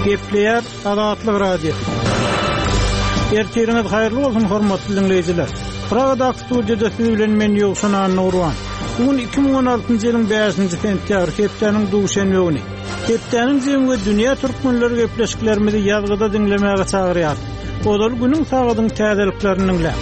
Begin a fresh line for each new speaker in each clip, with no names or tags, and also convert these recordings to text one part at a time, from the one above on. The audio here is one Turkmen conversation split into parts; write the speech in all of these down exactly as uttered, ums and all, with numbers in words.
Gepleýär Azatlyk Radiosy. Ertiriňiz haýyrly bolsun, hormatly diňleýjiler. Pragadaky studiýada siz bilen men Ýowşan Annagurban. Bu gün iki müň on altynjy ýylyň bäşinji sentýabr, hepdäniň duşenbe güni. Hepdäniň jemi we dünýä türkmenleri gepleşiklerimizi ýazgyda diňlemäge çagyrýar. Ozal günüň sagadyň täzeliklerini diňläň.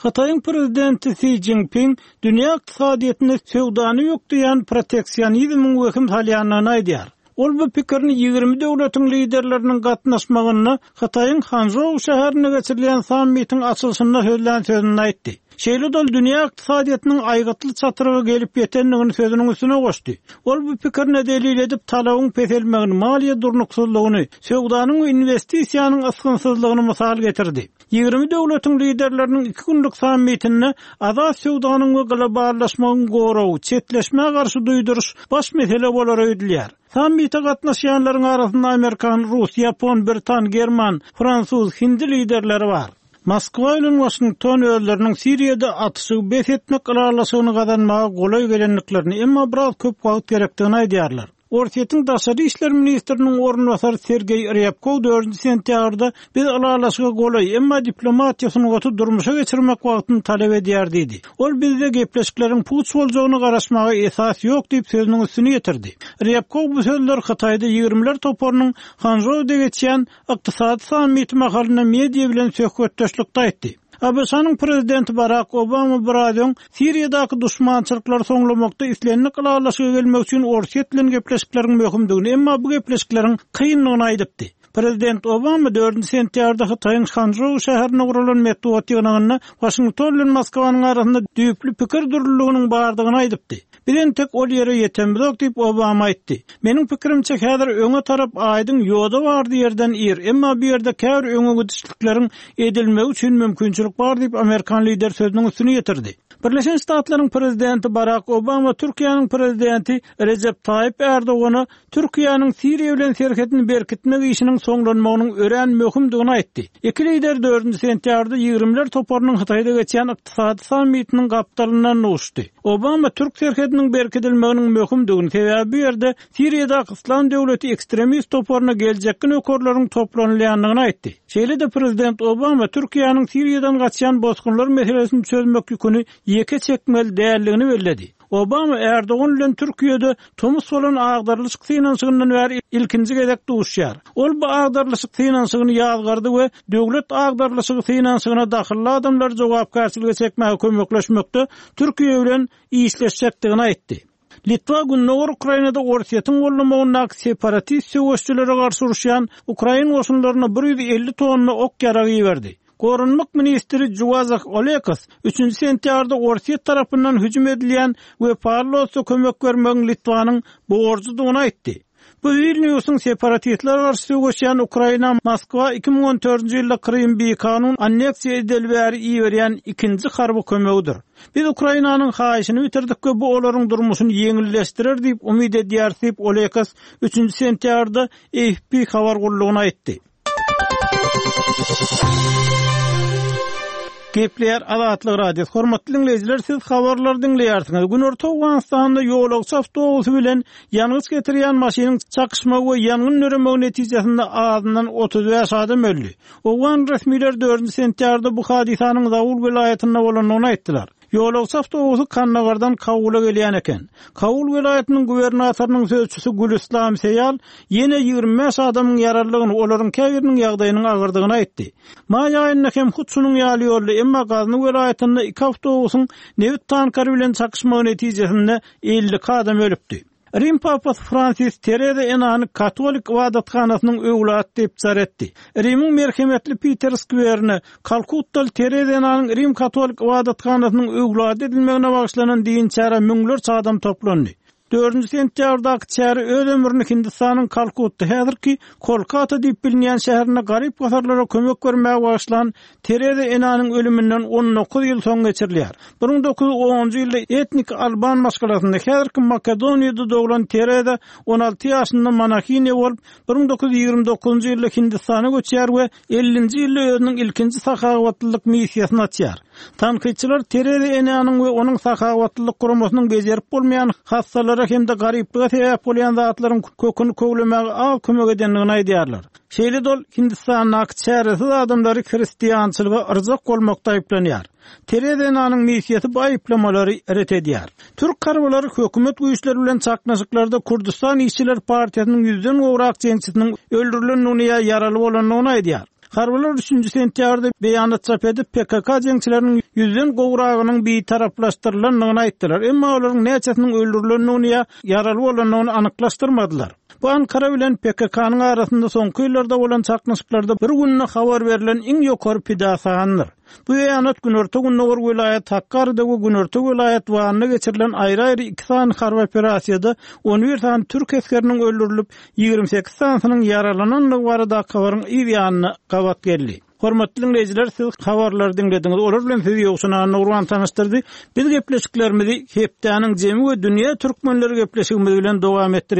Hytaýyň prezidenti Si Jinping dünýä ykdysadyýetinde söwdany ýokduýan proteksionizmiň wehim salýandygyny aýdýar. Ol bu pikirini ýigrimi döwletiň liderleriniň gatnaşmagynda Hytaýyň Hanzhou şäherinde geçirilen sammitiň açylyşynda sözlän sözüni aýtdy. Şeýle-de ol dünýä ykdysadyýetiniň aýgytly çatrygy gelip ýetendigini sözüniň üstüne goşdy. Ol bu pikirine delil edip talabyň peselmegini, maliýe durnuksyzlygyny, söwdanyň we investisiýanyň ysgynsyzlygyny mysal getirdi. Ýigrimi döwletiň liderleriniň iki günlük sammitinde azat söwdanyň we globallaşmagyň gorawy, çetleşmä garşy duýduryş baş mesele bolar öýdülýär. Sammite gatnaşýanlaryň arasynda Amerikan, Rus, Ýapon, Britan, German, Fransuz, Hindi liderleri bar. Moskwa bilen Washington özleriniň Siriýada atyşygy bes etmek ylalaşygyny gazanmaga golaý gelendiklerini, emma biraz köp wagt gerekdigini aýdýarlar. Orsýetiň daşary işler ministriniň orunbasary Sergeý Ryabkov dördünji sentýabrda biz ylalaşyga golaý, emma diplomatiýa sungaty durmuşa geçirmek wagtyny talap edýär diýdi. Ol bizde gepleşikleriň puç boljagyny garaşmaga esas ýok diýip sözüniň üstüni ýetirdi. Ryabkov bu sözler Hytaýda ýigirmiler toparynyň Hanzhouda geçýän ykdysady sammiti mahalynda media bilen söhbetdeşlikde aýtdy. A B Ş-nyň prezidenti Barack Obama biraz öň Siriýadaky duşmançylyklary soňlamakda islendik ylalaşyga gelmek üçin Orsýet bilen gepleşikleriň möhümdigini, emma bu gepleşikleriň kyndygyny aýdypdy. Prezident Obama dördünji sentýabrda Hytaýyň Hanzhou şäherinde guralan metbugat ýygnagynda Washington bilen Moskwanyň arasynda düýpli pikir dürlüliginiň bardygyny aýdypdy. Biz entek ol ýere ýetemizok diýip Obama aýtdy. Meniň pikirimçe häzir öňe tarap aýdyň ýoda bardy ýerden ir, emma bu ýerde käbir öňe gidişlikleriň edilmegi üçin mümkinçilik bar diýip Amerikan lider sözüniň üstüni ýetirdi. Birleşen Ştatlaryň prezidenti Barack Obama Türkiýäniň prezidenti Recep Tayyip Erdogana Türkiýäniň Siriýa bilen serhedini berkitmek işiniň soňlanmagynyň örän möhümdigini aýtdy. Iki lider dördünji sentýabrda ýigirmiler toparynyň Hytaýda geçýän ykdysady sammitiniň gapdalyndan duşdy. Obama Türk serhediniň berkidilmeginiň möhümdigini, sebäbi bu ýerde Siriýadaky Yslam döwleti ekstremist toparyna geljekki nökerleriň toplanylýandygyny aýtdy. Şeýle-de prezident Obama Türkiýäniň Siriýadan gaçýan bosgunlar meselesini çözmek ýüküni ýeke çekmeli däldigini belledi. Obama Erdogan bilen Türkiýede tomus bolan agdarlyşyk synanyşygyndan bäri ilkinji gezek duşýar. Ol bu agdarlyşyk synanyşygyny ýazgardy we döwlet agdarlyşygy synanyşygyna dahylly adamlar jogapkärçilige çekmäge kömekleşmekde Türkiýe bilen işleşjekdigini aýtdy. Litwa Gündogar Ukrainada Orsýetiň gollamagyndaky separatist söweşçilere garşy uruşýan Ukrain goşunlaryna bir ýüz elli tonna ok ýaragy iberdi. Goranmak ministri Juwazah Olekas üçünji sentýabrda Orsýet tarapyndan hüjüm edilýän we Pawlos'a kömek bermegiň Litwanyň borjudygyny aýtdy. Bu Vilnius'un separatistler garşy söweşýän Ukraina Moskwa iki müň on dördünji ýylda Krym bikanun anneksiýa edildi bäri iberýän ikinji harby kömegidir. Biz Ukrainanyň haýyşyny bitirdik we bu olaryň durmuşyny ýeňilleşdirer diýip umyt edýäris diýip Olekas üçünji sentýabrda A F P habar gullugyna aýtdy. Gepleýär Azatlyk Radiosy. Hormatly dinleýjiler, siz habarlary diňleýärsiňiz. Günorta Owganystanda ýolagçy awtobusy bilen ýangyç getirýän maşynyň çakyşmagy we ýangyn döremegi netijesinde azyndan otuz bäş adam öldi. Owgan resmileri dördünji sentýabrda bu hadysanyň Zabul welaýatynda bolandygyny aýtdylar. Ýolagçy awtobusy Kandagardan Kabula gelýän eken. Kabul welaýatynyň gubernatorynyň sözçüsi Gülüslam Seýal ýene ýigrimi bäş adamyň ýaralydygyny, olaryň käbiriniň ýagdaýynyň agyrdygyny aýtdy. Maý aýynda hem hut şunuň ýaly ýolda, emma Gazny welaýatynda iki awtobusyň nebit tankary bilen çakyşmagy netijesinde elli iki adam ölüpdi. Rim Papasy Fransis Tereza Enany Katolik ibadathanasynyň öwlady diýip jar etdi. Rimiň merhemetli Peter Skwerine Kalkuttal Tereza Enanyň Rim Katolik ibadathanasynyň öwlady edilmegine bagyşlanan din çäre müňlerçe adam toplandy. Dördünji sentýabrdaky çäre öz ömrüni Hindistanyň Kalkutta häzirki Kolkata diýip bilinýän şäherinde garyp gasarlara kömek bermäge başlan Tereza Enanyň ölüminden on dokuz ýyl soň geçirilýär. Bir müň dokuz ýüz onunjy ýylda etnik alban maşgalasynda häzirki Makedoniýada doglan Tereza on alty ýaşynda monahiniýa bolup, bir müň dokuz ýüz ýigrimi dokuzynjy ýylda Hindistana göçýär we ellinji ýylda özüniň ilkinji sahawatlylyk missiýasyny açýar. Tankytçylar Tereza Enanyň we onuň sahawatlylyk guramasynyň bejerip bolmaýan hastalara kynçylyklara hem-de garyplyga sebäp bolýan zatlaryň köküni köwlemäge az kömek edendigini aýdýarlar. Şeýle-de ol Hindistandaky çäresiz adamlary hristiançylyga yrjak bolmakda aýyplanýar. Tereza enanyň missiýasy bu aýyplamalary ret edýär. Türk harbylary hökümet güýçleri bilen çaknyşyklarda Kürdüstan işçiler partiýasynyň ýüzden gowrak jeňçisiniň öldürilendigini ýa ýaraly bolandygyny aýdýar. Harbylar üçünji sentýabrda beýanat çap edip, P K K jeňçileriniň ýüzden gowragynyň bitaraplaşdyrylandygyny aýtdylar, emma olaryň näçesiniň öldürilendigini ýa ýaraly bolandygyny anyklaşdyrmadylar. Bu Ankara bilen P K K-nyň arasynda soňky ýyllarda bolan çaknyşyklarda bir günde habar berlen iň ýokary pida sanydyr. Bu beýanat Günorta-Gündogar welaýat Hakkari'de we Günorta welaýat Wan'da geçirilen aýry-aýry iki sany harby operasiýada on bir sany türk esgeriniň öldürilip, ýigrimi sekiz sanysynyň ýaralanandygy baradaky habaryň yz ýanyna gabat geldi. Hormatly dinleýjiler, siz habarlary diňlediňiz. Olar bilen sizi Ýowşan Annagurban tanyşdyrdy. Biz gepleşiklerimizi hepdäniň jemi we dünýä türkmenleri gepleşigimiz bilen dowam etdirýäris.